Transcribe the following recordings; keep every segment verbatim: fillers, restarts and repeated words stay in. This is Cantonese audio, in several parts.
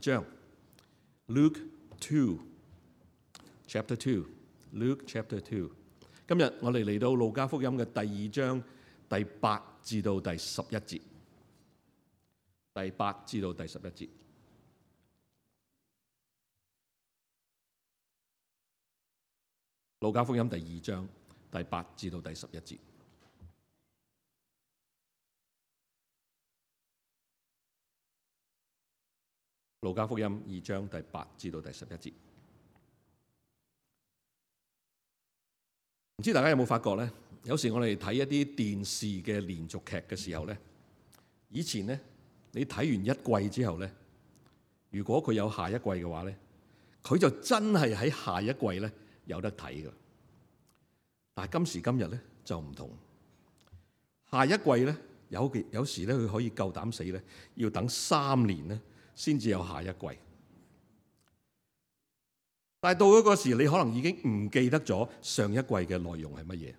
章 Luke two chapter two Luke chapter two。今日我哋嚟到路加福音嘅第二章第八至到第十一節，第八至到第十一節。路加福音第二章第八至到第十一節。路加福音二章第八至到第十一節。唔知大家有冇發覺咧？有時我哋睇一啲電視嘅連續劇嘅時候咧，以前咧你睇完一季之後咧，如果佢有下一季嘅話咧，佢就真係喺下一季咧有得睇㗎。但係今時今日咧就唔同，下一季咧有有時咧佢可以夠膽死咧，要等三年咧先至有下一季。但係到咗嗰時，你可能已經唔記得咗上一季嘅內容係乜嘢。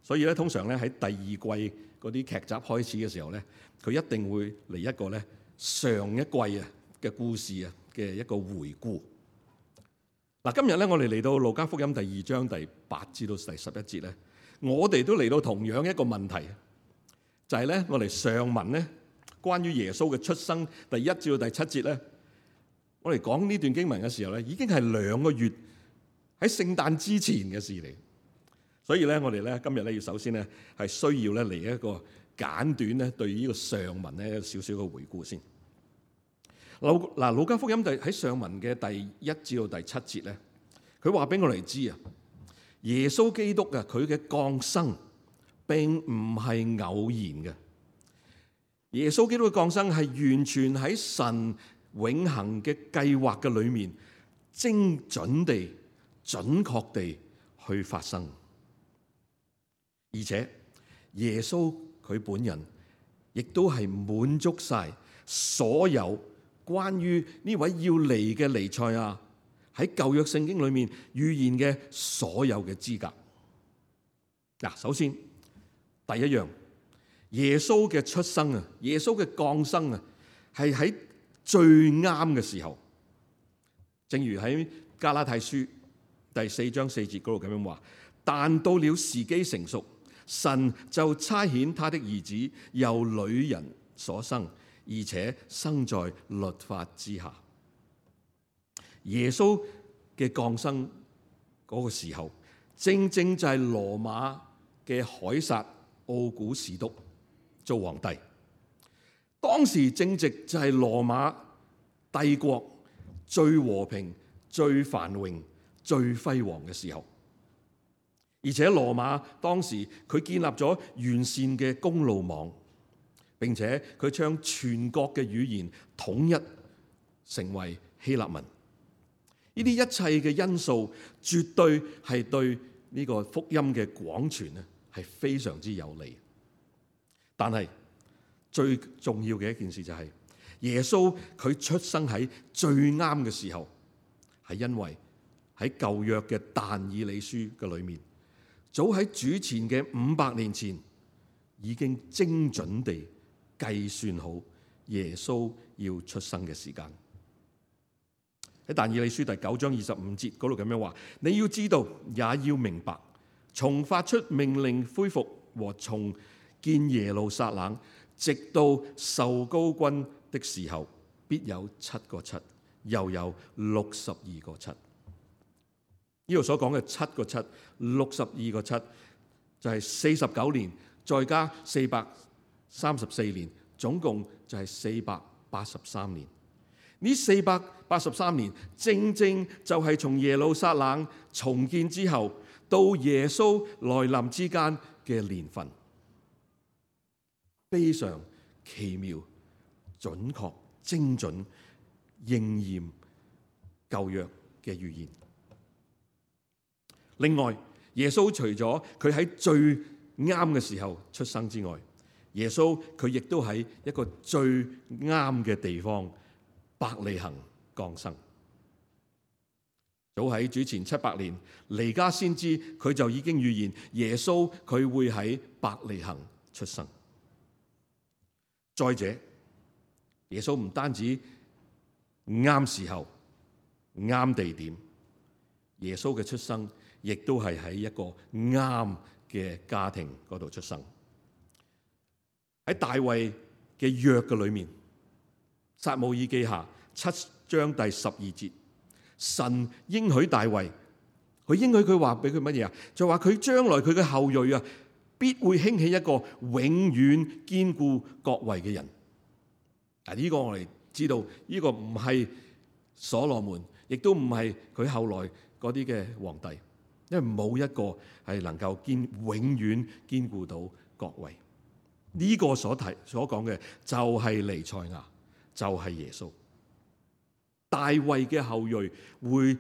所以咧，通常咧喺第二季嗰啲劇集開始嘅時候咧，佢一定會嚟一個咧上一季啊嘅故事啊嘅一個回顧。嗱，今日咧我哋嚟到路加福音第二章第八至到第十一節咧，我哋都嚟到同樣一個問題，就係咧我哋上文咧關於耶穌嘅出生第一至到第七節咧，我哋講呢段經文嘅時候咧，已經係兩個月喺聖誕之前嘅事嚟。所以咧，我哋咧今日咧要首先咧係需要咧嚟一個簡短咧對呢個上文咧少少嘅回顧先。路嗱，路加福音第喺上文嘅第一至到第七節咧，佢話俾我哋知啊，耶穌基督啊，佢嘅降生並唔係偶然嘅。耶穌基督嘅降生係完全喺神永恆嘅計劃嘅裏面，精準地、準確地去發生。而且耶穌佢本人亦都係滿足晒所有關於呢位要嚟嘅彌賽亞喺舊約聖經裏面預言嘅所有嘅資格。嗱，首先第一樣，耶穌嘅出生啊，耶穌嘅降生啊，係喺最啱嘅時候。正如喺加拉太書第四章四節嗰度咁樣話，但到了時機成熟，神就差遣他的兒子由女人所生，而且生在律法之下。耶穌嘅降生嗰個時候，正正就係羅馬嘅凱撒奧古士督做皇帝。當時正值就係羅馬帝國最和平、最繁榮、最輝煌嘅時候。而且羅馬當時佢建立咗完善嘅公路網，並且佢將全國嘅語言統一成為希臘文。呢啲一切嘅因素，絕對係對呢個福音嘅廣傳咧係非常之有利。但係最重要嘅一件事就係、是、耶穌佢出生喺最啱嘅時候，係因為喺舊約嘅但以理書嘅裏面，早喺主前嘅五百年前已經精準地計算好耶穌要出生嘅時間。喺但以理書第九章二十五節嗰度咁樣話：你要知道，也要明白，從發出命令恢復和重建耶路撒冷，直到受膏君的時候，必有七個七，又有六十二個七。呢度所講嘅七個七、六十二個七，就係四十九年，再加四百三十四年，總共就係四百八十三年。呢四百八十三年，正正就係從耶路撒冷重建之後到耶穌來臨之間嘅年份，非常奇妙、準確、精準應驗舊約嘅預言。另外，耶穌除咗佢喺最啱嘅時候出生之外，耶穌佢亦都喺一個最啱嘅地方伯利恆降生。早喺主前七百年，彌迦先知佢就已經預言耶穌佢會喺伯利恆出生。再者，耶穌唔單止啱時候、啱地點。耶穌嘅出生亦都係喺一個啱嘅家庭嗰度出生。喺大衛嘅約嘅裏面，撒母耳記下七章第十二節，神應許大衛，佢應許佢話俾佢乜嘢啊？就話佢將來佢嘅後裔啊，必會興起一個永遠堅固國位嘅人。嗱，呢個我哋知道，呢個唔係所羅門，亦都唔係佢後來嗰啲嘅皇帝，因為冇一個係能夠堅永遠堅固到國位。呢個所提所講嘅就係彌賽亞，就係耶穌。大衛嘅後裔會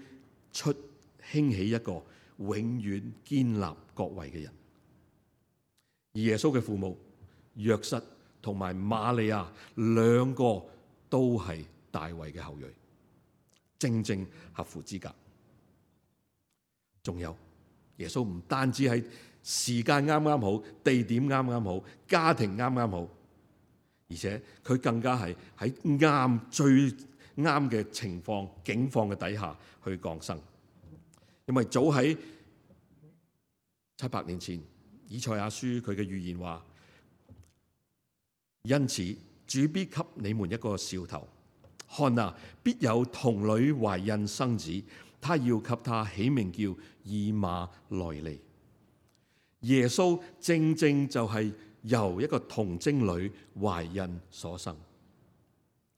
出興起一個永遠堅立國位嘅人。而耶穌嘅父母約瑟同埋瑪利亞兩個都係大衛嘅後裔，正正合乎資格。仲有耶穌唔單止係時間啱啱好，地點啱啱好，家庭啱啱好，而且佢更加係喺啱最啱嘅情況境況嘅底下去降生。因為早喺七百年前，以賽亞書佢嘅預言話：因此主必給你們一個兆頭，看啊，必有童女懷孕生子，他要給他起名叫以馬內利。耶穌正正就係由一個童貞女懷孕所生。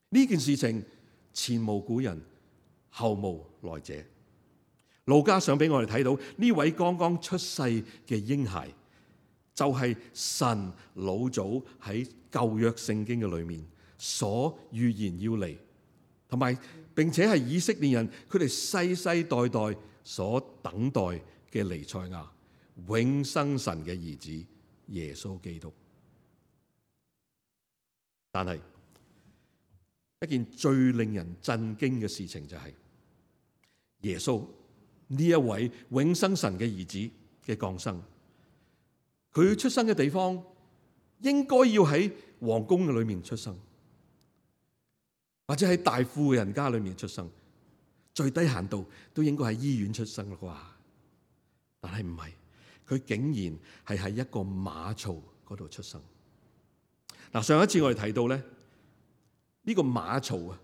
呢件事情前無古人，後無來者。路加想俾我哋睇到呢位剛剛出世嘅嬰孩，就係神老早喺舊約聖經嘅裏面所預言要嚟，同埋並且係以色列人佢哋世世代代所等待嘅彌賽亞，永生神嘅兒子耶穌基督。但係一件最令人震驚嘅事情就係耶穌呢一位永生神嘅兒子嘅降生，佢出生嘅地方應該要喺皇宮嘅裏面出生，或者喺大富嘅人家裏面出生，最低限度都應該喺醫院出生啦啩。但係唔係，佢竟然係喺一個馬槽嗰度出生。嗱，上一次我哋提到咧，呢個馬槽啊，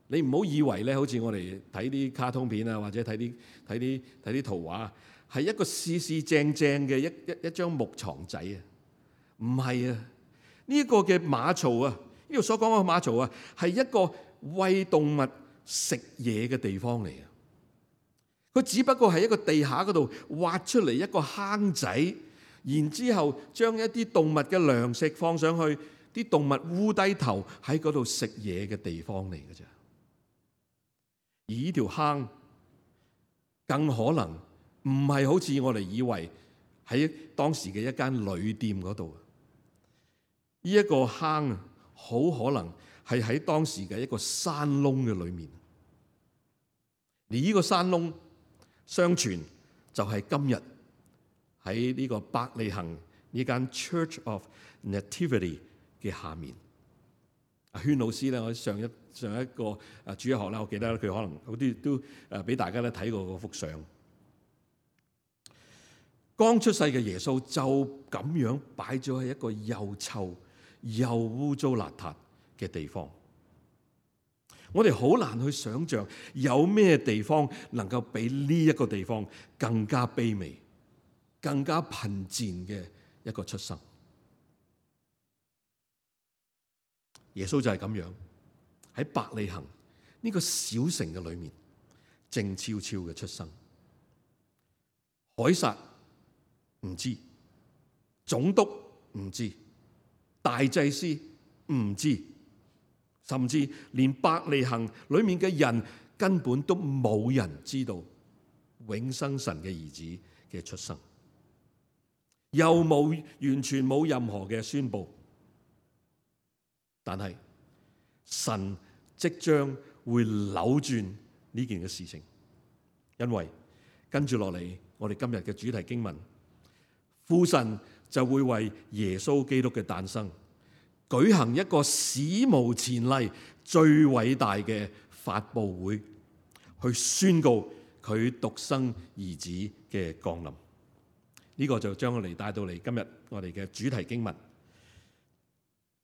你唔好以為咧，好似我哋睇啲卡通片啊，或者睇啲睇啲睇啲圖畫，係一個四四正正嘅一一一張木床仔啊，唔係啊，呢一個嘅馬槽啊，呢度所講嘅馬槽啊，係一個餵動物食嘢嘅地方嚟啊。佢只不過係一個地下嗰度挖出嚟一個坑仔，然之後將一啲動物嘅糧食放上去，啲動物烏低頭喺嗰度食嘢嘅地方嚟嘅啫。而呢條坑更可能唔係好似我哋以為喺當時嘅一間旅店嗰度，呢一個坑啊，好可能係喺當時嘅一個山窿嘅裏面。而呢個山窿，相傳就係今日喺呢個伯利恆呢間 Church of Nativity 嘅下面。阿軒老師咧，我上一上一個啊主日學咧，我記得佢可能好啲都誒俾大家咧睇過嗰幅相。剛出世嘅耶穌就咁樣擺咗喺一個又臭又污糟邋遢嘅地方。我哋好難去想像有咩地方能夠比呢一個地方更加卑微、更加貧賤嘅一個出生。耶穌就係咁樣喺伯利恆呢個小城嘅裏面靜悄悄嘅出生。凱撒唔知，總督唔知，大祭司唔知，甚至連伯利恆裏面嘅人根本都冇人知道永生神嘅兒子嘅出生，又冇完全冇任何嘅宣佈。但係神即將會扭轉呢件嘅事情，因為跟住落嚟我哋今日嘅主題經文，父神就會為耶穌基督嘅誕生舉行一個史無前例、最偉大嘅發佈會，去宣告佢獨生兒子嘅降臨。呢、這個就將我哋帶到嚟今日我哋嘅主題經文，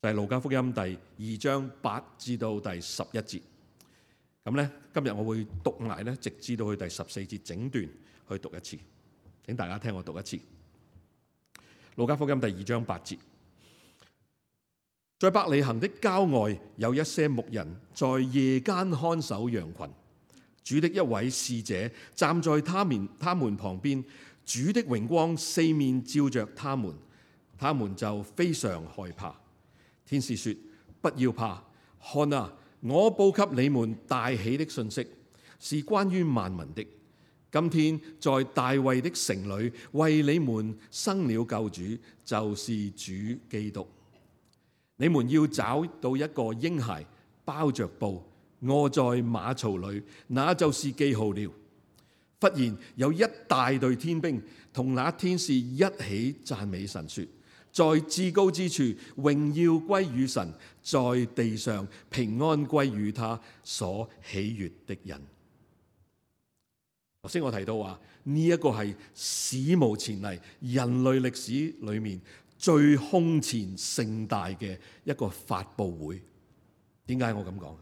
就係路加福音第二章八至到第十一節。咁咧，今日我會讀埋咧，直至到去第十四節整段去讀一次。請大家聽我讀一次。路加福音第二章八節，在伯利恆的郊外有一些牧人在夜間看守羊群，主的一位使者站在他們他們旁邊，主的榮光四面照着他們，他們就非常害怕。天使說：不要怕，看啊！我報給你們大喜的信息，是關於萬民的。今天在大衛的城裏為你們生了救主，就是主基督。你們要找到一個嬰孩，包着布，臥在馬槽裏，那就是記號了。忽然有一大隊天兵同那天使一起讚美神，說：在至高之處榮耀歸於神，在地上平安歸於他所喜悅的人。頭先我提到話呢一個係史無前例，人類歷史裏面最空前盛大嘅一個發佈會。點解我咁講？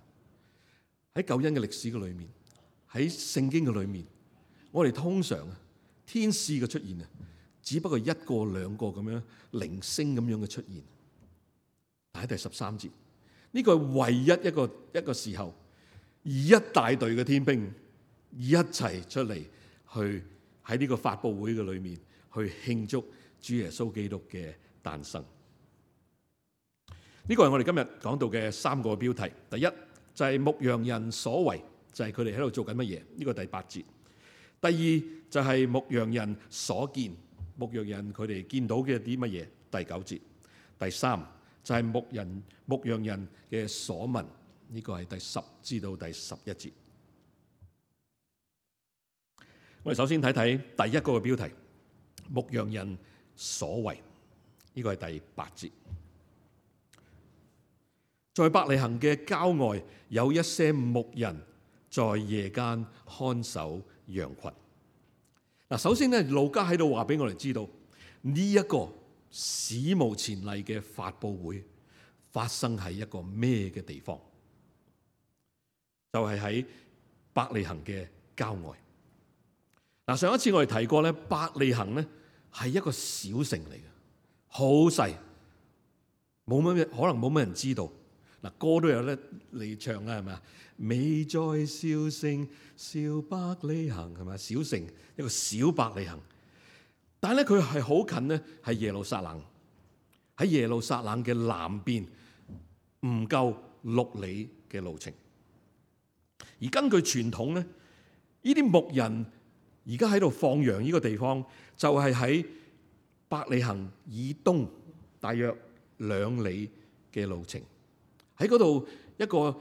喺救恩嘅歷史嘅裏面，喺聖經嘅裏面，我哋通常啊天使嘅出現啊，只不過一個兩個咁樣零星咁樣嘅出現。但喺第十三節，呢個係唯一一個一個時候，一大隊嘅天兵一齊出嚟，去喺呢個發佈會嘅裏面去慶祝主耶穌基督嘅誕生。呢個係我哋今日講到嘅三個標題。第一就係牧羊人所為，就係佢哋喺度做緊乜嘢？呢個第八節。第二就係牧羊人所見，牧羊人佢哋見到嘅啲乜嘢？第九節。第三就係牧人牧羊人嘅所聞，呢個係第十至到第十一節。我哋首先睇睇第一個嘅標題，牧羊人所為，呢個係第八節。在伯利恆嘅郊外有一些牧人在夜間看守羊群。嗱，首先咧，路加喺度話俾我哋知道呢一個史無前例嘅發佈會發生喺一個咩嘅地方？就係喺伯利恆嘅郊外。嗱，上一次我哋提過咧，伯利恆咧係一個小城嚟嘅，好細，冇乜可能冇乜人知道。嗱，歌都有得嚟唱啦，係咪啊？美在小城，小伯利恆，係咪？小城一個小伯利恆，但係咧佢係好近咧，係耶路撒冷。喺耶路撒冷嘅南邊，唔夠六里嘅路程。而根據傳統咧，呢啲牧人而家喺度放羊呢個地方，就係喺伯利恆以東大約兩里嘅路程。喺嗰度一個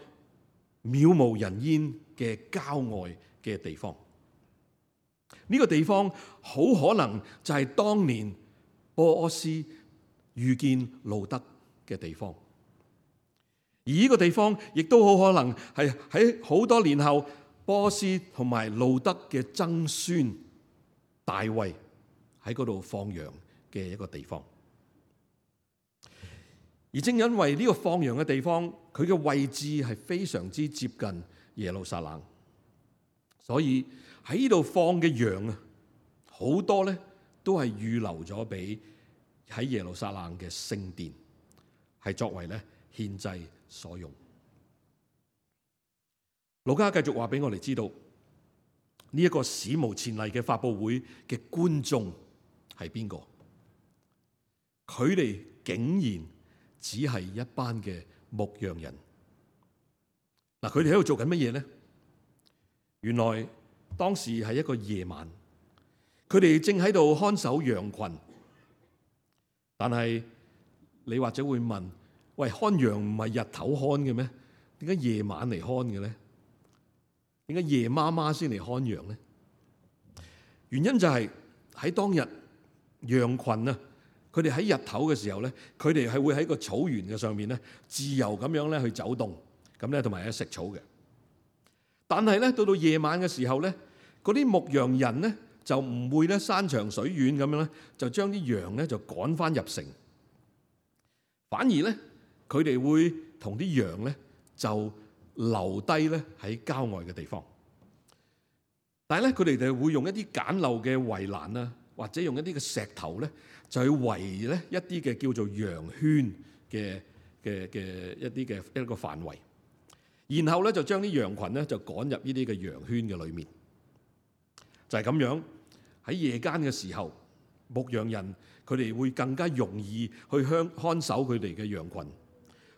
渺無人煙嘅郊外嘅地方，呢個地方好可能就係當年波阿斯遇見路德嘅地方，而呢個地方亦都好可能係喺好多年後波阿斯同埋路德嘅曾孫大衛喺嗰度放羊嘅一個地方。而正因為呢個放羊嘅地方，佢嘅位置係非常之接近耶路撒冷，所以喺呢度放嘅羊啊，好多咧都係預留咗俾喺耶路撒冷嘅聖殿，係作為咧獻祭所用。路加繼續話俾我哋知道，呢一個史無前例嘅發佈會嘅觀眾係邊個？佢哋竟然只係一班嘅牧羊人。嗱，佢哋喺度做緊乜嘢呢？原來當時係一個夜晚，佢哋正喺度看守羊群。但係你或者會問：喂，看羊唔係日頭看嘅咩？點解夜晚嚟看嘅咧？點解夜媽媽先嚟看羊咧？原因就係喺當日羊群啊，佢哋喺日頭嘅時候咧，佢哋係會喺個草原嘅上面咧，自由咁樣咧去走動，咁咧同埋喺食草嘅。但係咧到到夜晚嘅時候咧，嗰啲牧羊人咧就唔會咧山長水遠咁樣咧，就將啲羊咧就趕翻入城，反而咧佢哋會同啲羊咧就留低咧喺郊外嘅地方。但係咧佢哋就會用一啲簡陋嘅圍欄啊，或者用一啲嘅石頭咧，就去圍咧一啲嘅叫做羊圈嘅嘅嘅一啲嘅一個範圍，然後咧就將啲羊群咧就趕入呢啲嘅羊圈嘅裏面。就係咁樣，喺夜間嘅時候，牧羊人佢哋會更加容易去看看守佢哋嘅羊群，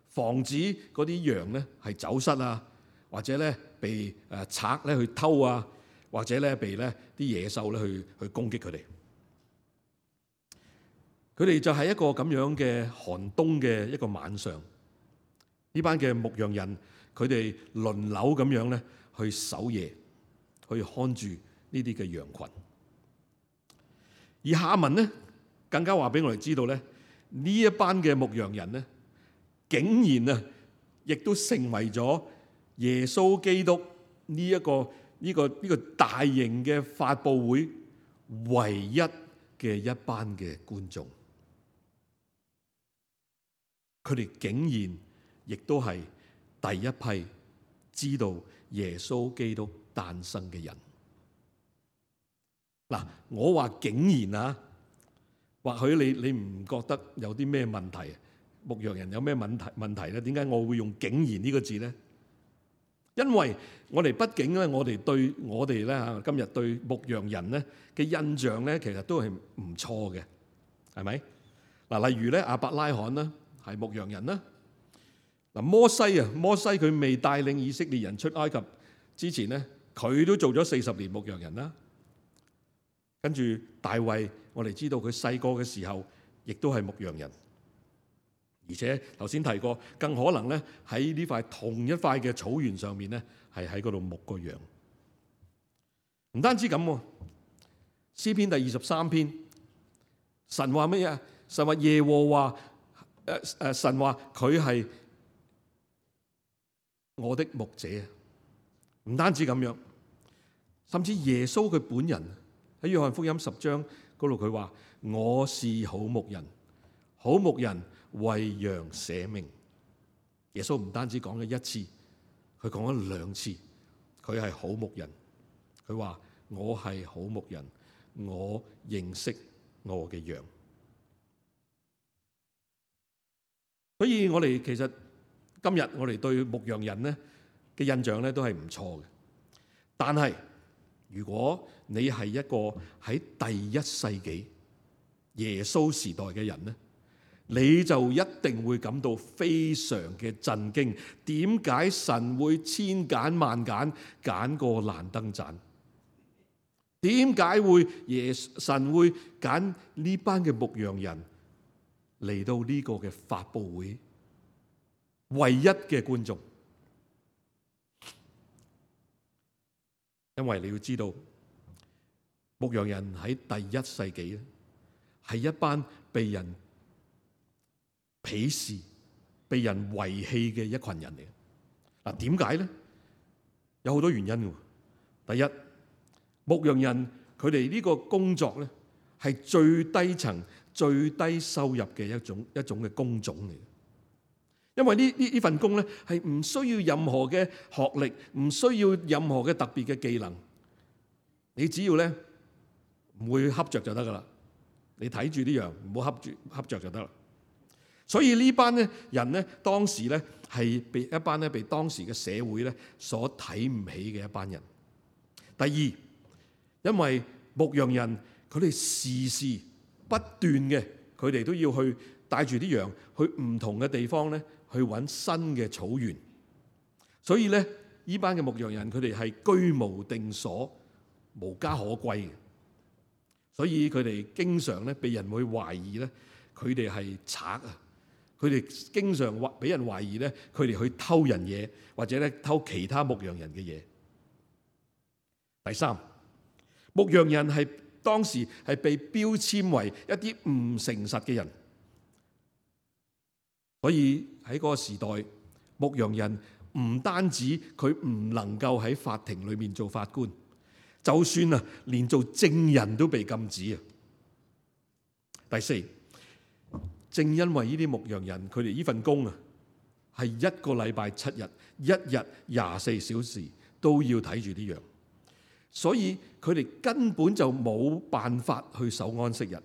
防止嗰啲羊咧係走失啊，或者咧被誒賊咧去偷啊，或者咧被咧啲野獸咧去去攻擊佢哋。佢哋就係一個咁樣嘅寒冬嘅一個晚上，呢班嘅牧羊人佢哋輪流咁樣咧去守夜，去看住呢啲嘅羊群。而下文咧更加話俾我哋知道咧，呢一班嘅牧羊人咧，竟然啊，亦都成為咗耶穌基督呢一個呢個呢個大型嘅發佈會唯一嘅一班嘅觀眾。佢哋竟然亦都係第一批知道耶穌基督誕生嘅人。嗱，我話竟然啊，或許你你唔覺得有啲咩問題？牧羊人有咩問題問題咧？點解我會用竟然呢個字咧？因為我哋畢竟咧，我哋對我哋咧嚇今日對牧羊人咧嘅印象咧，其實都係唔錯嘅，係咪？嗱，例如咧亞伯拉罕啦，係牧羊人啦。嗱，摩西啊，摩西佢未帶領以色列人出埃及之前咧，佢都做咗四十年牧羊人啦。跟住大衛，我哋知道佢細個嘅時候，亦都係牧羊人，而且頭先提過，更可能咧喺呢塊同一塊嘅草原上面咧，係喺嗰度牧個羊。唔單止咁，詩篇第二十三篇，神話乜嘢？神話耶和華，誒誒，神話佢係我的牧者。唔單止咁樣，甚至耶穌佢本人。喺約翰福音十章嗰度，佢話我是好牧人，好牧人為羊捨命。耶穌唔單止講咗一次，佢講咗兩次，佢係好牧人。佢話我係好牧人，我認識我嘅羊。所以我哋其實今日我哋對牧羊人咧嘅印象咧都係唔錯嘅，但係如果你係一個喺第一世紀耶穌時代嘅人咧，你就一定會感到非常嘅震驚。點解神會千揀萬揀揀個爛燈盞？點解會耶神會揀呢班嘅牧羊人嚟到呢個嘅發佈會唯一嘅觀眾？因為你要知道，牧羊人喺第一世紀咧，係一班被人鄙視、被人遺棄嘅一群人嚟。嗱，點解咧？有好多原因嘅。第一，牧羊人佢哋呢個工作咧，係最低層、最低收入嘅一種一種嘅工種嚟。因為呢呢呢份工咧係唔需要任何嘅學歷，唔需要任何嘅特別嘅技能，你只要咧唔會恰着就得噶啦。你睇住啲羊，唔好恰住恰着就得啦。所以呢班咧人咧，當時咧係被一班咧被當時嘅社會咧所睇唔起嘅一班人。第二，因為牧羊人佢哋時時不斷嘅，佢哋都要去帶住啲羊去唔同嘅地方咧。去揾新嘅草原，所以咧，呢班嘅牧羊人佢哋係居無定所、無家可歸嘅，所以佢哋經常咧被人會懷疑咧，佢哋係賊啊！佢哋經常懷俾人懷疑咧，佢哋去偷人嘢，或者咧偷其他牧羊人嘅嘢。第三，牧羊人係當時係被標籤為一啲唔誠實嘅人。所以喺嗰個時代，牧羊人唔單止佢唔能夠喺法庭裏面做法官，就算啊連做證人都被禁止啊。第四，正因為呢啲牧羊人佢哋呢份工啊係一個禮拜七日，一日廿四小時都要睇住啲羊，所以佢哋根本就冇辦法去守安息日，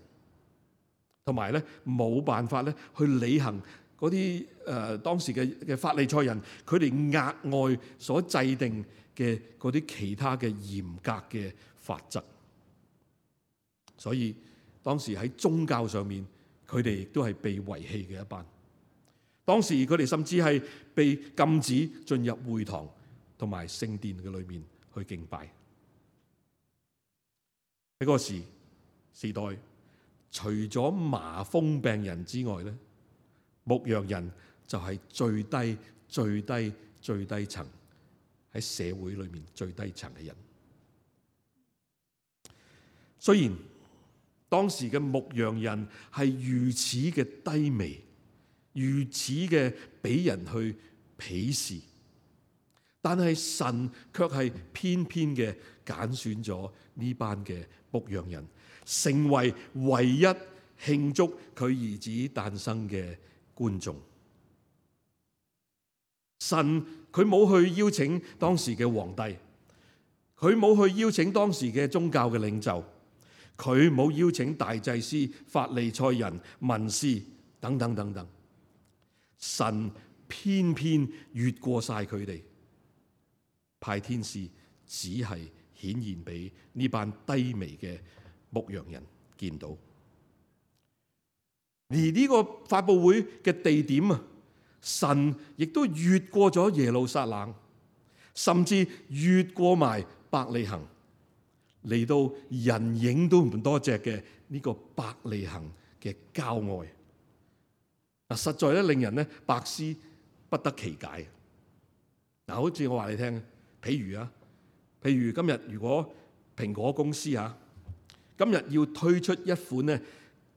同埋咧冇辦法咧去履行嗰啲誒當時嘅嘅法利賽人佢哋額外所制定嘅嗰啲其他嘅嚴格嘅法則。所以當時喺宗教上面，佢哋亦都係被遺棄嘅一班。當時佢哋甚至係被禁止進入會堂同埋聖殿嘅裏面去敬拜。喺嗰個時時代，除咗麻風病人之外咧，牧羊人就係最低、最低、最低層喺社會裏面最低層嘅人。雖然當時嘅牧羊人係如此嘅低微，如此嘅俾人去鄙視，但係神卻係偏偏嘅揀選咗呢班嘅牧羊人，成為唯一慶祝佢兒子誕生嘅觀眾。神佢冇去邀請當時嘅皇帝，佢冇去邀請當時嘅宗教嘅領袖，佢冇邀請大祭司、法利賽人、文士等等等等。神偏偏越過晒佢哋，派天使只係顯現俾呢班低微嘅牧羊人見到。而呢個發佈會嘅地點啊，神亦都越過咗耶路撒冷，甚至越過埋伯利恆，嚟到人影都唔多隻嘅呢個伯利恆嘅郊外。嗱，實在咧令人咧百思不得其解。嗱，好似我話你聽，譬如啊，譬如今日如果蘋果公司啊，今日要推出一款咧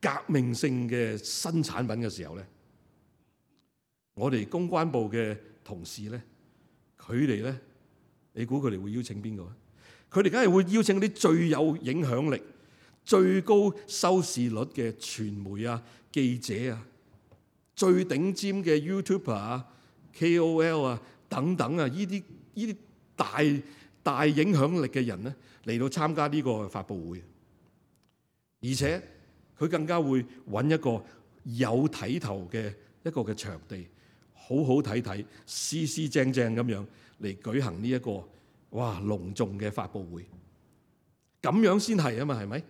革命性嘅新產品嘅時候咧，我哋公關部嘅同事咧，佢哋咧，你估佢哋會邀請邊個啊？佢哋梗係會邀請啲最有影響力、最高收視率嘅傳媒啊、記者啊、最頂尖嘅 YouTuber 啊、K O L 啊等等啊，呢啲呢啲大大影響力嘅人咧嚟到參加呢個發佈會，而且佢更加會揾一個有睇頭嘅一個嘅場地，好好睇睇、斯斯正正咁樣嚟舉行呢一個哇隆重嘅發佈會，咁樣先係啊嘛，係咪？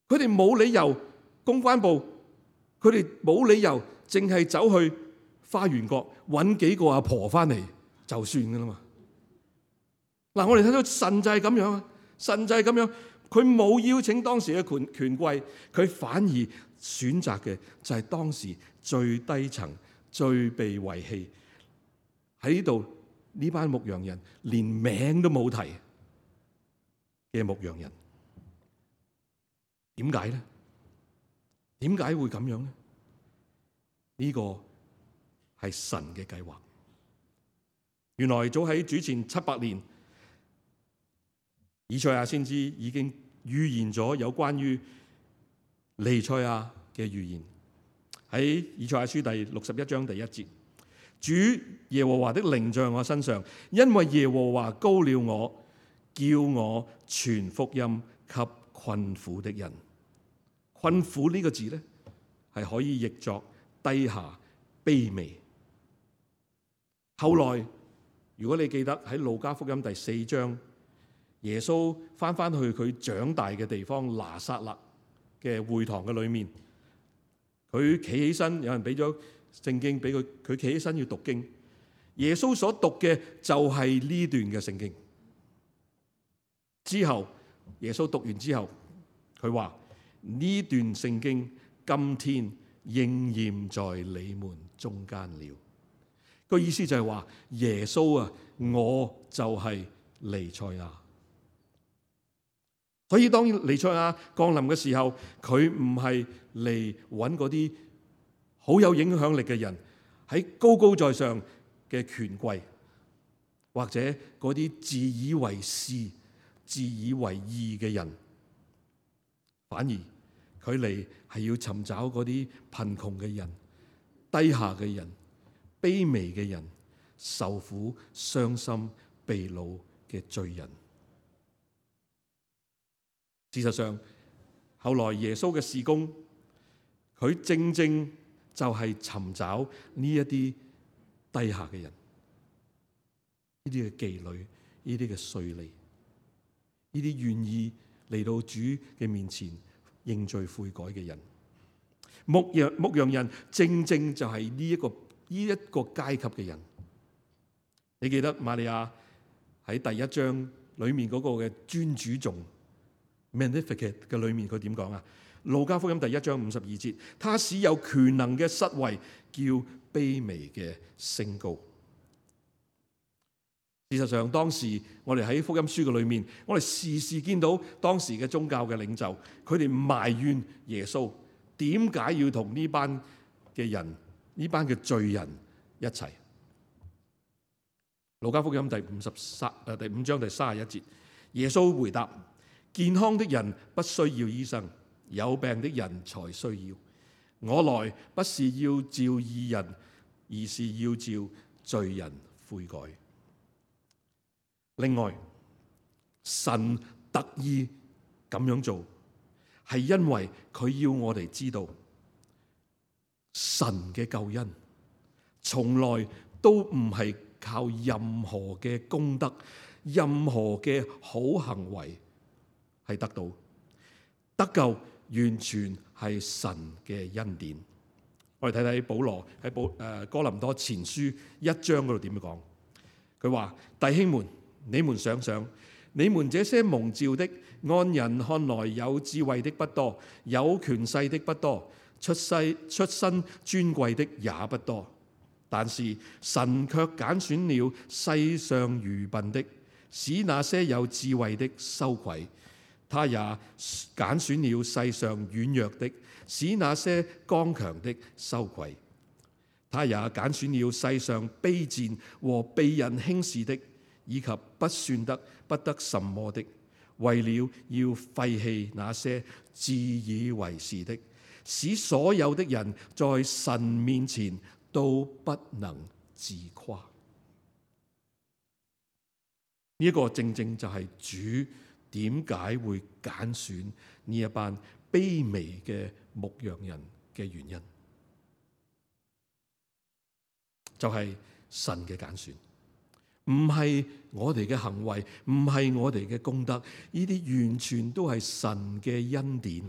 佢哋冇理由，公關部佢哋冇理由淨係走去花園角揾幾個阿婆翻嚟就算噶啦嘛。嗱，我哋睇到神就係咁樣啊，神就係咁樣，佢冇邀請當時嘅權權貴，佢反而選擇嘅就係當時最低層、最被遺棄喺呢度。呢班牧羊人連名都冇提嘅牧羊人，點解咧？點解會咁樣咧？呢個係神嘅計劃。原來早喺主前七百年，以賽亞先知已經預言咗有關於彌賽亞嘅預言。喺以賽亞書第六十一章第一節。主耶和華的靈在我身上，因為耶和華膏了我，叫我傳福音給困苦的人。困苦呢個字咧，係可以譯作低下、卑微。後來，如果你記得喺路加福音第四章，耶穌翻翻去佢長大嘅地方拿撒勒嘅會堂嘅裏面，佢企起身，有人俾咗聖經俾佢，佢企起身要讀經。耶穌所讀嘅就係呢段嘅聖經。之後耶穌讀完之後，佢話呢段聖經今天應驗在你們中間了。個意思就係話耶穌啊，我就係彌賽亞。所以當彌賽亞降臨嘅時候，佢唔係嚟揾嗰啲好有影響力嘅人，喺高高在上嘅權貴，或者嗰啲自以為是、自以為義嘅人，反而佢嚟係要尋找嗰啲貧窮嘅人、低下嘅人、卑微嘅人、受苦、傷心、被擄嘅罪人。事實上，後來耶穌嘅事工，佢正正就係尋找呢一啲低下嘅人，呢啲嘅妓女，呢啲嘅稅吏，呢啲願意嚟到主嘅面前認罪悔改嘅人。牧羊牧羊人正正就係呢一個呢一個階級嘅人。你記得瑪利亞喺第一章裏面嗰個嘅尊主頌 Magnificat 嘅裏面佢點講啊？路加福音第一章五十二節，他使有權能嘅失位，叫卑微嘅升高。事實上，當時我哋喺福音書嘅裏面，我哋時時見到當時嘅宗教嘅領袖，佢哋埋怨耶穌點解要同呢班嘅人、呢班嘅罪人一齊。路加福音第五十三誒第五章第三十一節，耶穌回答：健康的人不需要醫生，有病的人才需要。我來不是要召義人，而是要召罪人悔改。另外，神特意咁樣做，係因為佢要我哋知道，神嘅救恩從來都唔係靠任何嘅功德、任何嘅好行為係得到，得救完全係神嘅恩典。我哋睇睇保羅喺保誒哥林多前書一章嗰度點樣講？佢話：弟兄們，你們想想，你們這些蒙召的，按人看來有智慧的不多，有權勢的不多，出世出身尊貴的也不多。但是神卻揀選了世上愚笨的，使那些有智慧的羞愧；他也揀選了世上軟弱的，使那些剛強的羞愧；他也揀選了世上卑賤和被人輕視的，以及不算得不得什麼的，為了要廢棄那些自以為是的，使所有的人在神面前都不能自誇。呢一個正正就係主點解會揀選呢一班卑微嘅牧羊人嘅原因，就係神嘅揀選，唔係我哋嘅行為，唔係我哋嘅功德，呢啲完全都係神嘅恩典，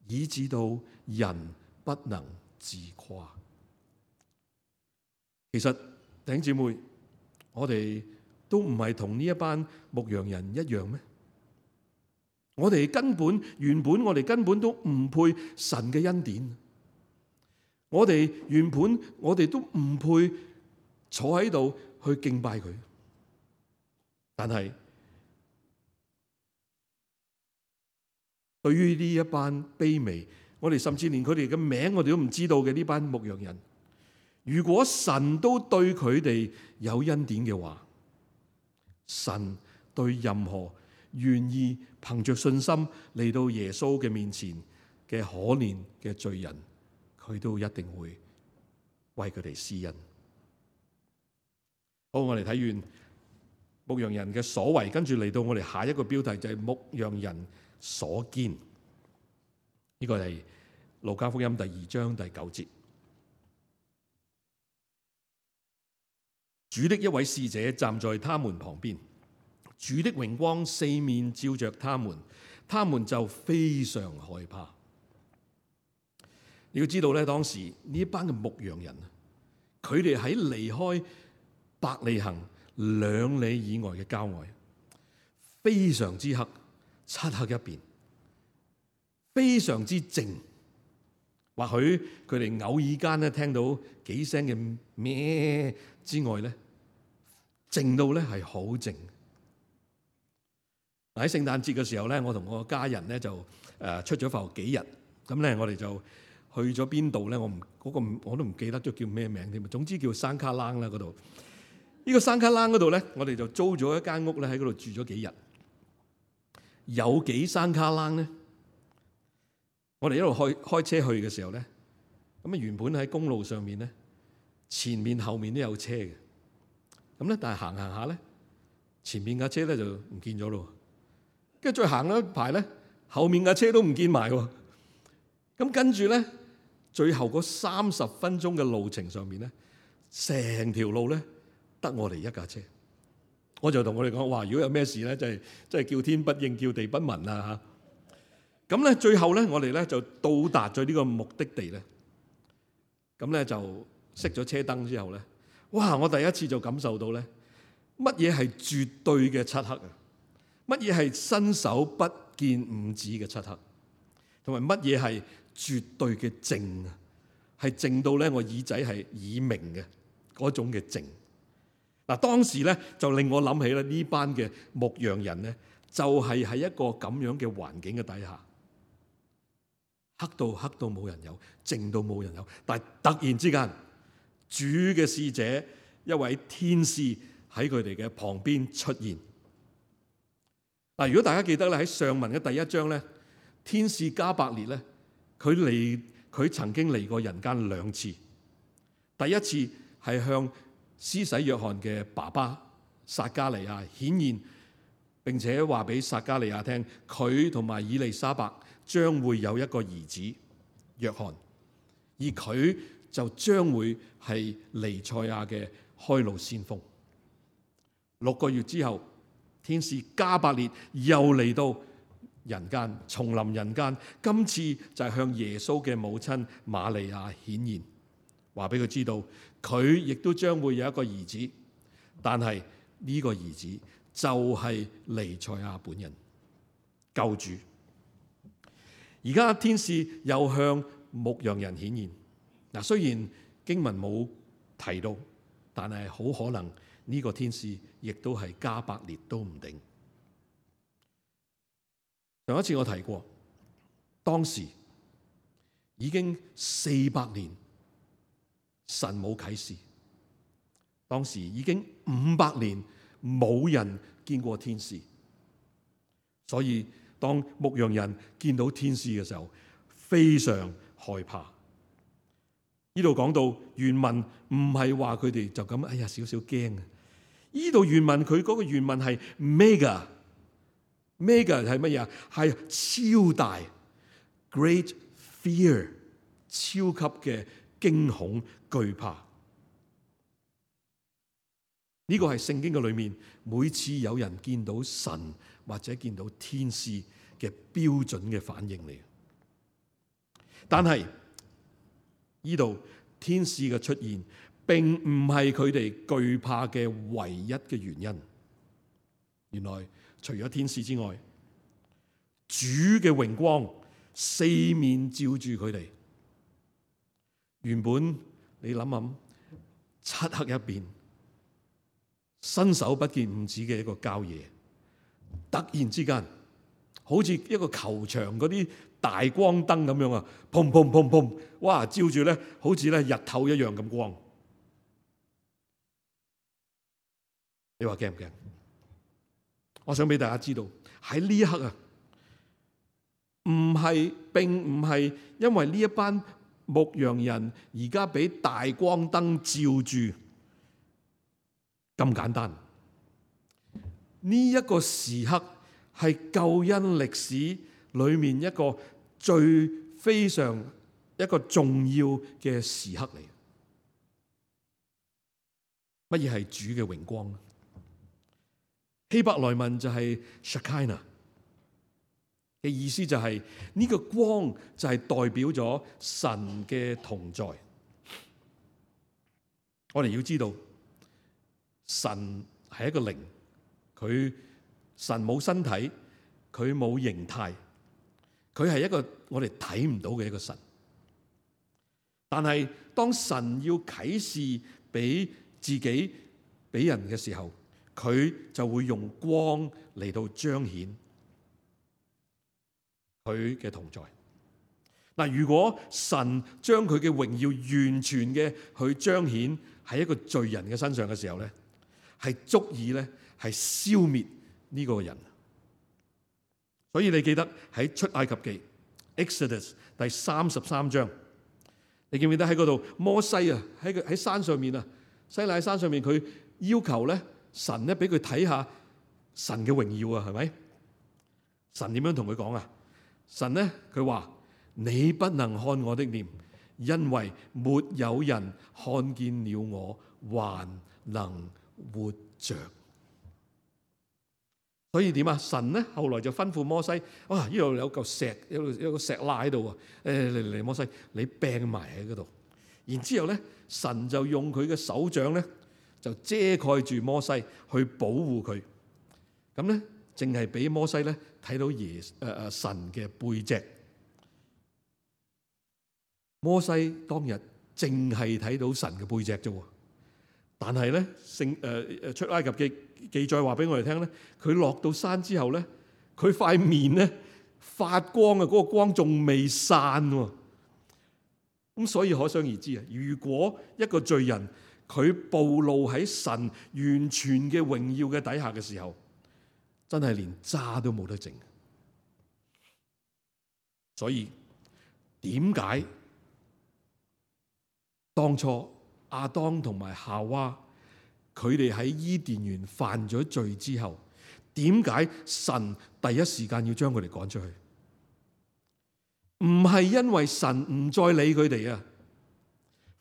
以致到人不能自誇。其實弟兄姊妹，我哋都唔係同呢一班牧羊人一樣咩？我哋根本原本我哋根本都唔配神嘅恩典，我哋原本我哋都唔配坐喺度去敬拜佢，但係對於呢一班卑微，我哋甚至連佢哋嘅名我哋都唔知道嘅呢班牧羊人，如果神都對佢哋有恩典嘅話，神對任何願意憑着信心嚟到耶穌嘅面前嘅可憐嘅罪人，佢都一定會為佢哋施恩。好，我哋睇完牧羊人嘅所為，跟住嚟到我哋下一個標題就係牧羊人所見。呢個係路加福音第二章第九節。主的一位使者站在他們旁邊，主的榮光四面照着他們，他們就非常害怕。你要知道咧，當時呢一班嘅牧羊人，佢哋喺離開伯利恆兩里以外嘅郊外，非常之黑，漆黑一片，非常之靜。或許佢哋偶爾間咧聽到幾聲嘅咩之外咧，靜到咧係好靜。喺聖誕節嘅時候咧，我同我家人咧就誒出咗埠幾日，咁咧我哋就去咗邊度咧？我唔嗰個我都唔記得咗叫咩名添。總之叫山卡冷啦嗰度。呢個山卡冷嗰度咧，我哋就租咗一間屋咧，喺嗰度住咗幾日。有幾山卡冷咧？我哋一路開開車去嘅時候咧，咁啊原本喺公路上面咧，前面後面都有車嘅。咁咧，但係行行下咧，前面架車咧就唔見咗咯。跟住再行咗一排咧，後面架車都唔見埋喎。咁跟住咧，最後嗰三十分鐘嘅路程上面咧，成條路咧得我哋一架車。我就同我哋講：哇！如果有咩事咧，真係真係叫天不應，叫地不聞啊！嚇。咁咧，最後咧，我哋咧就到達咗呢個目的地咧。咁咧就熄咗車燈之後咧，哇！我第一次就感受到咧，乜嘢係絕對嘅漆黑啊！乜嘢係伸手不見五指嘅漆黑，同埋乜嘢係絕對嘅靜啊！係靜到咧，我耳仔係耳鳴嘅嗰種嘅靜。嗱，當時咧就令我諗起咧呢班嘅牧羊人咧，就係喺一個咁樣嘅環境嘅底下，黑到黑到冇人有，靜到冇人有。但係突然之間，主嘅使者一位天使喺佢哋嘅旁邊出現。嗱，如果大家記得咧，喺上文嘅第一章咧，天使加百列咧，佢嚟佢曾經嚟過人間兩次。第一次係向施洗約翰嘅爸爸撒加利亞顯現，並且話俾撒加利亞聽，佢同埋以利沙伯將會有一個兒子約翰，而佢就將會係彌賽亞嘅開路先鋒。六個月之後，天使加百列又嚟到人間，重臨人間。今次就係向耶穌嘅母親瑪利亞顯現，話俾佢知道佢亦都將會有一個兒子，但係呢個兒子就係彌賽亞本人，救主。而家天使又向牧羊人顯現。嗱，雖然經文冇提到，但係好可能呢個天使亦都係加百列都唔定。上一次我提過，當時已經四百年神冇啟示，當時已經五百年冇人見過天使，所以當牧羊人見到天使嘅時候，非常害怕。呢度講到原文唔係話佢哋就咁，哎呀少少驚啊！呢度原文佢嗰個原文係 mega。mega 係乜嘢啊？係超大 ，great fear， 超級嘅驚恐懼怕。呢個係聖經嘅裏面，每次有人見到神或者見到天使嘅標準嘅反應嚟。但係呢度天使嘅出現，並唔係佢哋懼怕嘅唯一嘅原因。原來除咗天使之外，主嘅榮光四面照住佢哋。原本你諗諗，漆黑一片，伸手不見五指嘅一個郊野，突然之間，好似一個球場嗰啲大光燈咁樣啊，砰砰砰砰，哇！照住咧，好似咧日頭一樣咁光。你話驚唔驚？我想俾大家知道，喺呢一刻啊，唔係，並唔係因為呢一班牧羊人而家俾大光燈照住咁簡單。呢一個時刻係救恩歷史裏面一個最非常一個重要嘅時刻嚟。乜嘢係主嘅榮光呢？希伯來文就係 Shekinah 嘅意思，就係呢個光就係代表咗神嘅同在。我哋要知道，神係一個靈，佢神冇身體，佢冇形態，佢係一個我哋睇唔到嘅一個神。但係當神要啟示俾自己俾人嘅時候，佢就會用光嚟到彰顯佢嘅同在。嗱，如果神將佢嘅榮耀完全嘅去彰顯喺一個罪人嘅身上嘅時候咧，係足以咧係消滅呢個人。所以你記得喺出埃及記 Exodus 第三十三章，你記唔記得喺嗰度摩西啊喺喺山上面啊，西奈山上面，佢要求咧神咧俾佢睇下神嘅榮耀啊，係咪？神點樣同佢講啊？神咧佢話：你不能看我的臉，因為沒有人看見了我還能活着。所以點啊？神咧後來就吩咐摩西：哇！呢度有嚿石，有有個石罅喺度啊！誒嚟嚟，摩西，你掟埋喺嗰度。然之後咧，神就用佢嘅手掌咧，就遮蓋住摩西，去保護佢。咁咧，淨係俾摩西咧睇到耶誒誒神嘅背脊。摩西當日淨係睇到神嘅背脊啫，但係咧聖誒誒出埃及記記載話俾我哋聽咧，佢落到山之後咧，佢塊面咧發光啊，嗰個光仲未散喎。咁所以可想而知啊，如果一個罪人佢暴露喺神完全嘅榮耀嘅底下嘅時候，真係連渣都冇得剩。所以點解當初亞當同埋夏娃佢哋喺伊甸園犯咗罪之後，點解神第一時間要將佢哋趕出去？唔係因為神唔再理佢哋啊，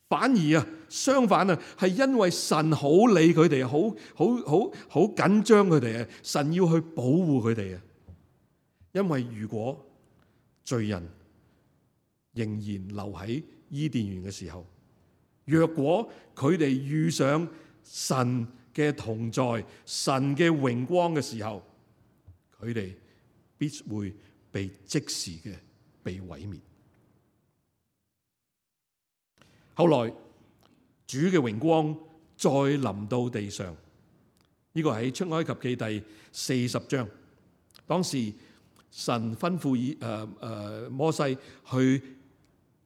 反而啊相反啊，係因為神好理佢哋，好好好好緊張佢哋啊，神要去保護佢哋啊。因為如果罪人仍然留喺伊甸園嘅時候，若果佢哋遇上神嘅同在、神嘅榮光嘅時候，佢哋必會被即時嘅被毀滅。後來主嘅榮光再臨到地上，呢、這個喺出埃及記第四十章。當時神吩咐以誒誒摩西去誒、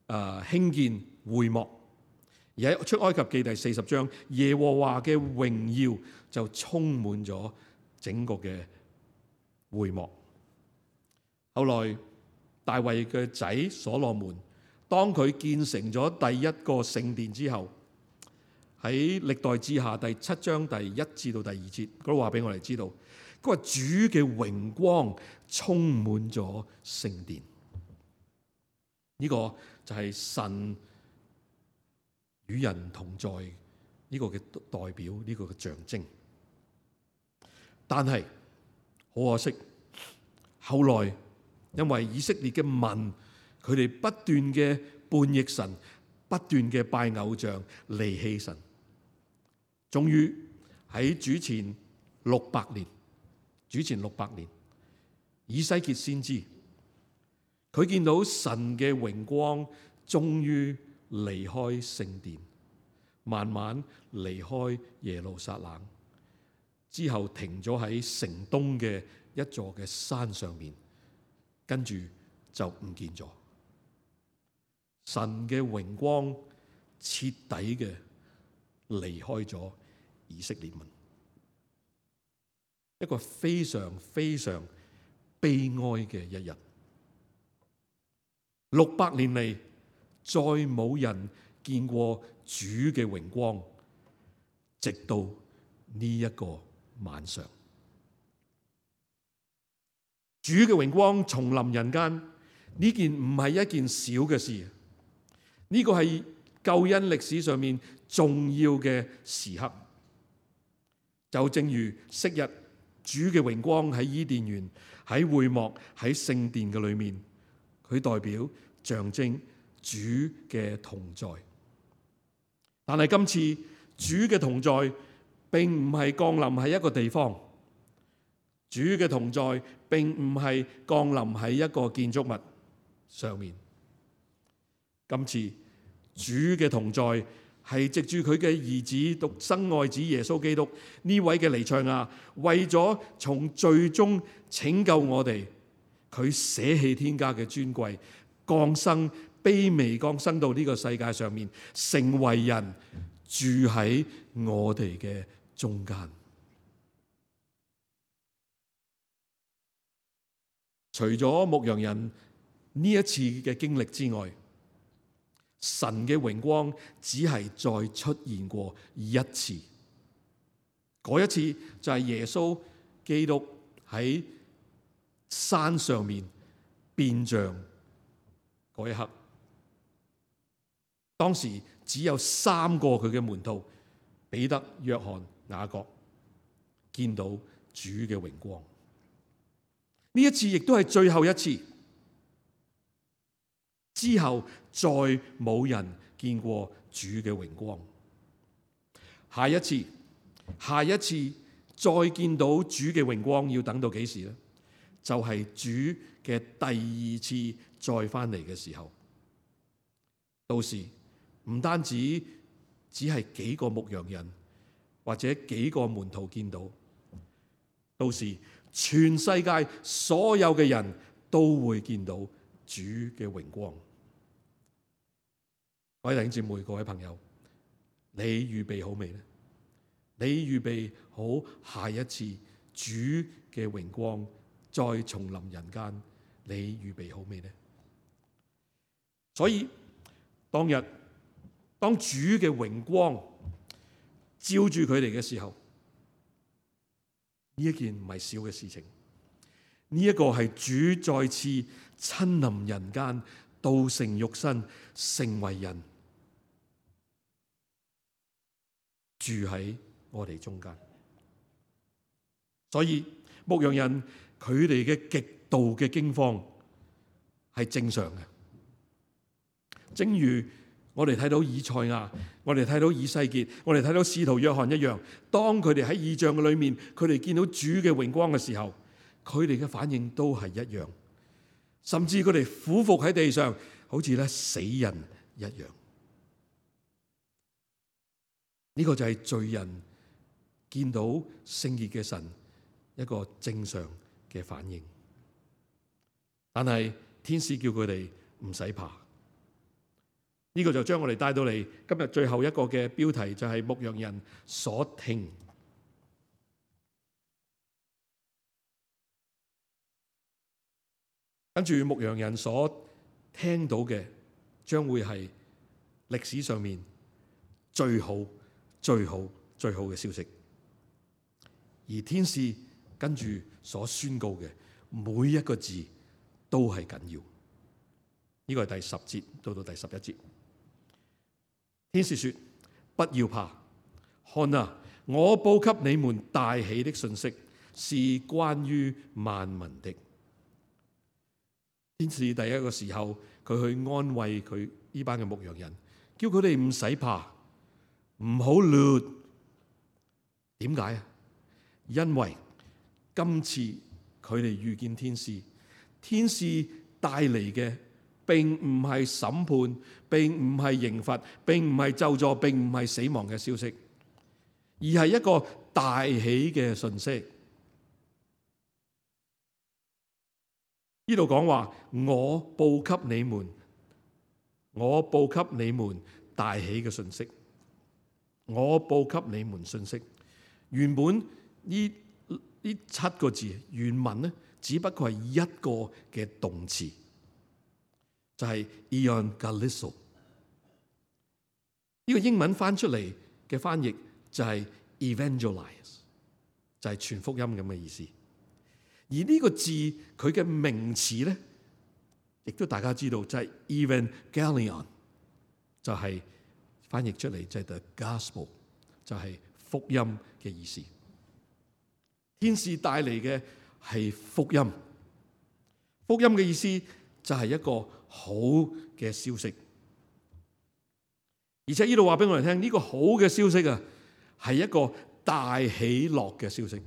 呃、興建會幕。而喺出埃及記第四十章，耶和華嘅榮耀就充滿咗整個嘅會幕。後來大衛嘅仔所羅門，當佢建成咗第一個聖殿之後，喺歷代志下第七章第一至到第二節，佢都話俾我哋知道，佢話主嘅榮光充滿咗聖殿。呢、這個就係神與人同在呢個嘅代表，呢個嘅象徵。但係好可惜，後來因為以色列嘅民，佢哋不斷嘅叛逆神，不斷嘅拜偶像，離棄神，終於喺主前六百年，主前六百年，以西結先知，佢見到神嘅榮光終於離開聖殿，慢慢離開耶路撒冷，之後停咗喺城東嘅一座嘅山上面，跟住就唔見咗。神嘅榮光徹底嘅離開咗以色列民，一個非常非常悲哀嘅一日。六百年嚟，再冇人見過主嘅榮光，直到呢一個晚上，主嘅榮光重臨人間，呢件唔係一件小嘅事，呢個係救恩歷史上面重要嘅時刻。就正如昔日主嘅榮光喺伊甸園、喺會幕、喺聖殿嘅裏面，佢代表象徵主嘅同在。但係今次主嘅同在並唔係降臨喺一個地方，主嘅同在並唔係降臨喺一個建築物上面。今次主嘅同在係藉住佢嘅兒子獨生愛子耶穌基督呢位嘅彌賽亞，為咗從罪中拯救我哋，佢捨棄天家嘅尊貴，降生，卑微降生到呢個世界上面，成為人，住喺我哋嘅中間。除咗牧羊人呢一次嘅經歷之外，神嘅榮光只係再出現過一次。嗰一次就係耶穌基督喺山上面變像嗰一刻。當時只有三個佢嘅門徒，彼得、約翰、雅各，見到主嘅榮光。呢一次亦都係最後一次，之後再冇人見過主嘅榮光。下一次，下一次再見到主嘅榮光，要等到幾時呢？就係主嘅第二次再翻嚟嘅時候。到時唔單止只係幾個牧羊人或者幾個門徒見到，到時全世界所有嘅人都會見到主嘅榮光。各位弟兄姊妹、各位朋友，你預備好未呢？你預備好下一次主嘅榮光再重臨人間，你預備好未呢？所以當日當主嘅榮光照住佢哋嘅時候，呢一件唔係小嘅事情，呢一個係主再次親臨人間，道成肉身，成為人，住喺我哋中間。所以牧羊人佢哋嘅極度嘅驚慌係正常嘅，正如我哋睇到以賽亞，我哋睇到以西結，我哋睇到使徒約翰一樣，當佢哋喺異象嘅裏面，佢哋見到主嘅榮光嘅時候，佢哋嘅反應都係一樣，甚至佢哋俯伏喺地上，好似咧死人一樣。呢個就係罪人見到聖潔嘅神一個正常嘅反應。但係天使叫佢哋唔使怕。呢個就將我哋帶到嚟今日最後一個嘅標題，就係牧羊人所聽。跟住牧羊人所聽到嘅，將會係歷史上面最好、最好、最好嘅消息。而天使跟住所宣告嘅每一個字都係緊要。呢個係第十節到到第十一節。天使說：不要怕，看啊，我報給你們大喜的信息，是關於萬民的。天使第一個時候，佢去安慰佢呢班嘅牧羊人，叫佢哋唔使怕，唔好亂。點解啊？因為今次佢哋遇見天使，天使帶嚟嘅並唔係審判，並唔係刑罰，並唔係咒詛，並唔係死亡嘅消息，而係一個大喜嘅訊息。呢度講話，我報給你們，我報給你們大喜嘅訊息，我報給你們信息。原本呢呢七個字原文呢，只不過係一個嘅動詞，就係 euangelizo。呢個英文翻出嚟嘅翻譯就係 evangelize， 就係傳福音咁嘅意思。而呢個字佢嘅名詞咧，亦都大家知道就係 evangelion， 就係翻譯出嚟就係 the gospel， 就係福音嘅意思。天使帶嚟嘅係福音，福音嘅意思就係一個好嘅消息。而且呢度話俾我哋聽，呢個好嘅消息啊，係一個大喜樂嘅消息。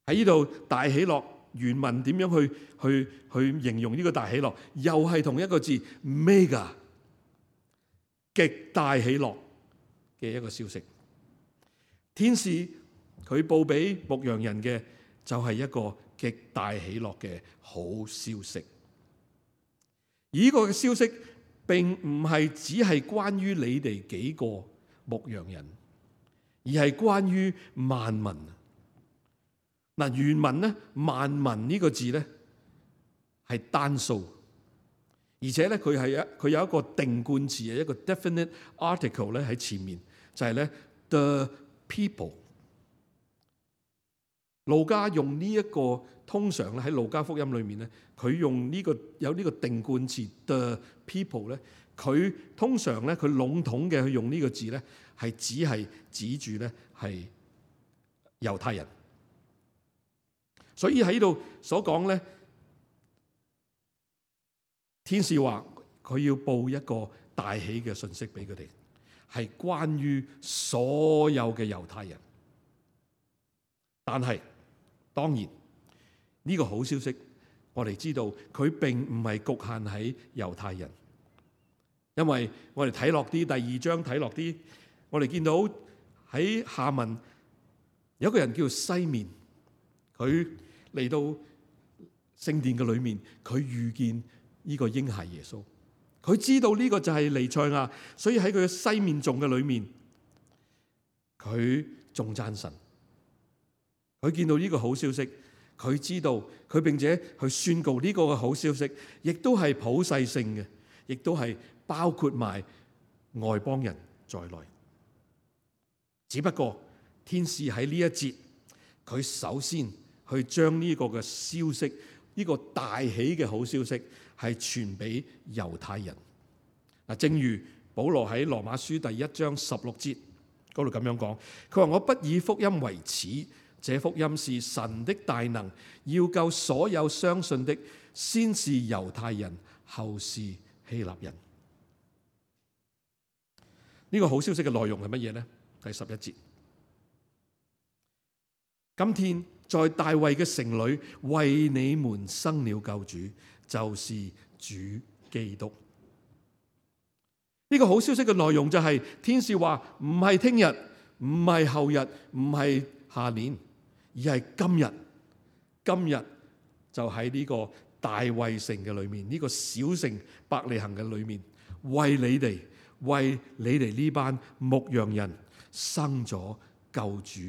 喺呢度大喜樂原文點樣去去去形容呢個大喜樂？又係同一個字 mega， 極大喜樂嘅一個消息。天使佢報俾牧羊人嘅就係一個極大喜樂嘅好消息。而呢個嘅消息並唔係只係關於你哋幾個牧羊人，而係關於萬民。嗱，原文咧，萬民呢個字咧係單數，而且咧佢係一佢有一個定冠詞嘅一個 definite article 咧喺前面，就係咧 the people。路加用呢一個通常咧喺路加福音裏面咧，佢用呢個有呢個定冠詞 the people 咧，佢通常咧佢籠統嘅去用呢個字咧，係只係指住咧係猶太人。所以喺度所講咧，天使話佢要報一個大喜嘅信息俾佢哋，係關於所有嘅猶太人。但係當然呢個好消息，我哋知道佢並唔係局限喺猶太人，因為我哋睇落啲第二章睇落啲，我哋見到喺下文有一個人叫西面，佢嚟到聖殿嘅裏面，佢遇見呢個嬰孩耶穌，佢知道呢個就係彌賽亞，所以喺佢嘅西面頌嘅裏面，佢仲讚神。佢見到呢個好消息，佢知道佢並且去宣告呢個嘅好消息，亦都係普世性嘅，亦都係包括埋外邦人在內。只不過天使喺呢一節，佢首先去將呢個嘅消息，呢個大喜嘅好消息係傳俾猶太人。嗱，正如保羅喺羅馬書第一章十六節嗰度咁樣講，佢話：我不以福音為恥，這福音是神的大能，要救所有相信的，先是猶太人，後是希臘人。呢個好消息嘅內容係乜嘢呢？第十一節，今天在大衛嘅城裏為你們生了救主，就是主基督。呢個好消息嘅內容就係天使話唔係聽日，唔係後日，唔係下年，而係今日。今日就喺呢個大衛城嘅裏面，呢個小城伯利恆嘅裏面，為你哋，為你哋呢班牧羊人生咗救主，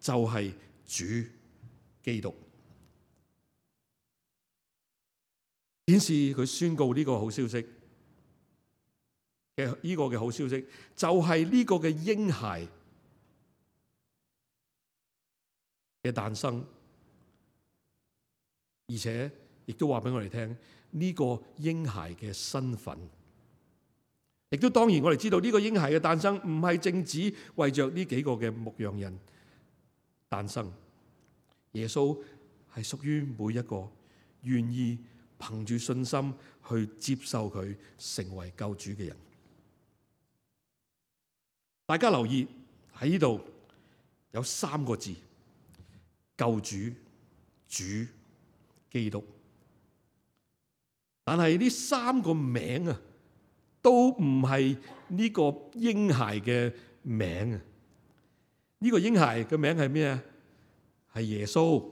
就係主基督。顯示佢宣告呢個好消息嘅呢個嘅好消息，就係呢個嘅嬰孩嘅誕生，而且亦都話俾我哋聽呢個嬰孩嘅身份。亦都當然我哋知道呢個嬰孩嘅誕生唔係淨止為着呢幾個嘅牧羊人誕生，耶穌係屬於每一個願意憑住信心去接受佢成為救主嘅人。大家留意喺呢度有三個字：救主、主、基督。但係呢三個名啊，都唔係呢個嬰孩嘅名啊！呢個嬰孩嘅名係咩啊？係耶穌。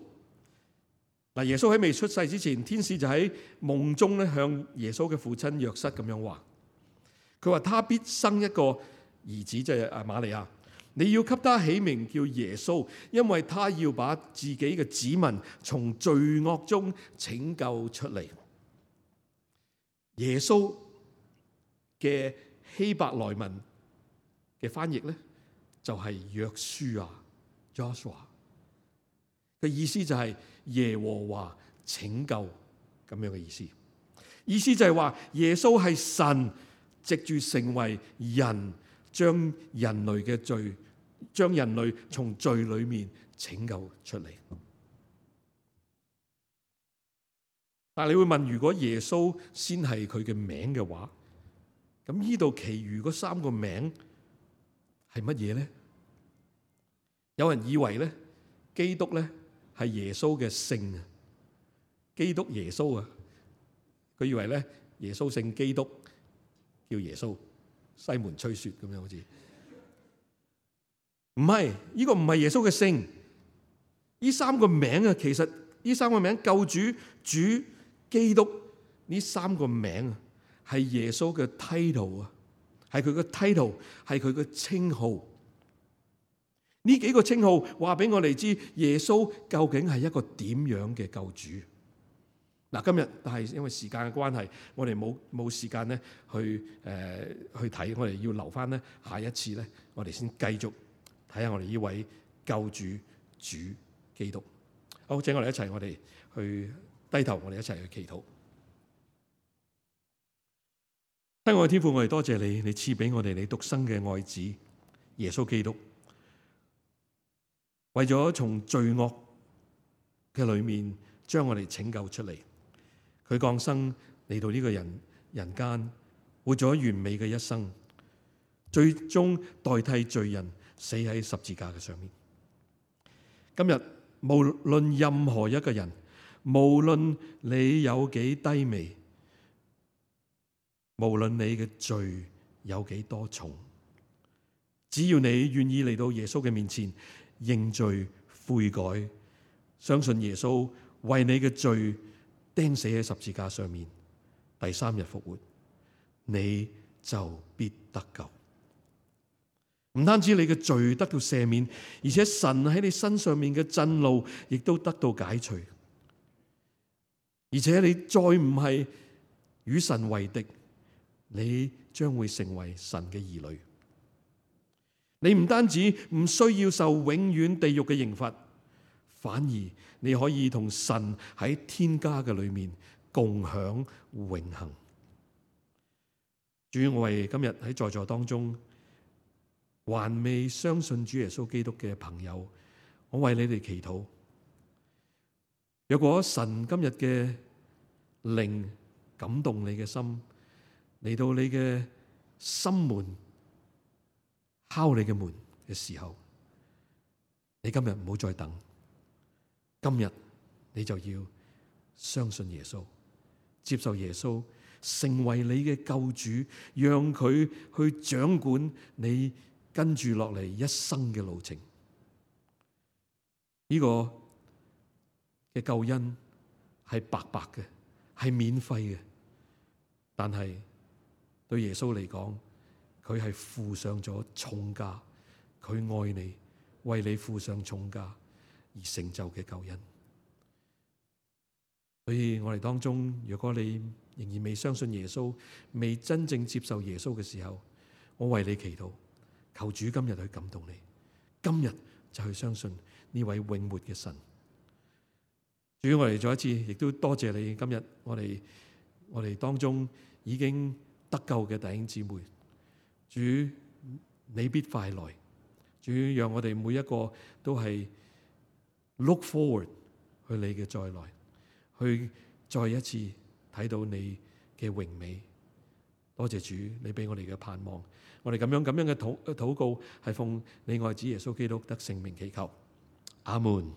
嗱，耶穌喺未出世之前，天使就喺夢中咧向耶穌嘅父親約瑟咁樣話：佢話他必生一個兒子，即係阿瑪利亞，你要給他起名叫耶穌，因為他要把自己嘅子民從罪惡中拯救出嚟。耶穌嘅希伯來文嘅翻譯咧，就係約書亞 Joshua 嘅意思，就係耶和華拯救咁樣嘅意思。意思就係話耶穌係神藉住成為人，將人類嘅罪，將人類從罪裏面拯救出嚟。但係你會問，如果耶穌先係佢嘅名嘅話，咁呢度其餘嗰三個名係乜嘢咧？有人以為咧，基督咧係耶穌嘅姓啊，基督耶穌啊，佢以為咧耶穌姓基督，叫耶穌，西門吹雪咁樣好似。唔係，呢個唔係耶穌嘅姓。呢三個名啊，其實呢三個名救主、主、基督呢三個名啊，係耶穌嘅 title 啊，係佢嘅 title，係佢嘅稱號。呢幾個稱號話俾我哋知，耶穌究竟係一個點樣嘅救主。嗱，今日但係因為時間嘅關係，我哋冇冇時間咧去誒、呃、去睇，我哋要留翻咧下一次咧，我哋先繼續睇下我哋呢位救主主基督。好，請我哋一齊，我哋去低頭，我哋一齊去祈禱。親愛嘅天父，我哋多謝你，你賜俾我哋你獨生嘅愛子耶穌基督，為咗從罪惡嘅裏面將我哋拯救出嚟。佢降生嚟到呢個人人間，活咗完美嘅一生，最終代替罪人死喺十字架嘅上面。今日無論任何一個人，無論你有幾低微，無論你嘅罪有幾多重，只要你願意嚟到耶穌嘅面前認罪悔改，相信耶穌為你嘅罪釘死喺十字架上面，第三日復活，你就必得救。唔單止你嘅罪得到赦免，而且神喺你身上面嘅震怒亦都得到解除，而且你再唔係與神為敵，你將會成為神嘅兒女。你唔單止唔需要受永遠地獄嘅刑罰，反而你可以同神喺天家嘅裏面共享永恆。主，我為今日喺在座當中還未相信主耶穌基督嘅朋友，我為你哋祈禱。若果神今日嘅靈感動你嘅心，嚟到你嘅心門敲你嘅門嘅時候，你今日唔好再等。今日你就要相信耶穌，接受耶穌成為你嘅救主，讓佢去掌管你跟住落嚟一生嘅路程。呢個嘅救恩係白白嘅，係免費嘅，但係對耶穌嚟講，佢係付上咗重價，佢愛你，為你付上重價而成就嘅救恩。所以我哋當中，如果你仍然未相信耶穌，未真正接受耶穌嘅時候，我為你祈禱，求主今日去感動你，今日就去相信呢位永活嘅神。主，我哋再一次亦都多謝你，今日我哋我哋當中已經得救嘅弟兄姊妹，主你必快來，主讓我哋每一個都係 look forward 去你嘅再來，去再一次睇到你嘅榮美。多謝主，你俾我哋嘅盼望，我哋咁樣咁樣嘅禱禱告係奉你愛子耶穌基督得聖名祈求，阿門。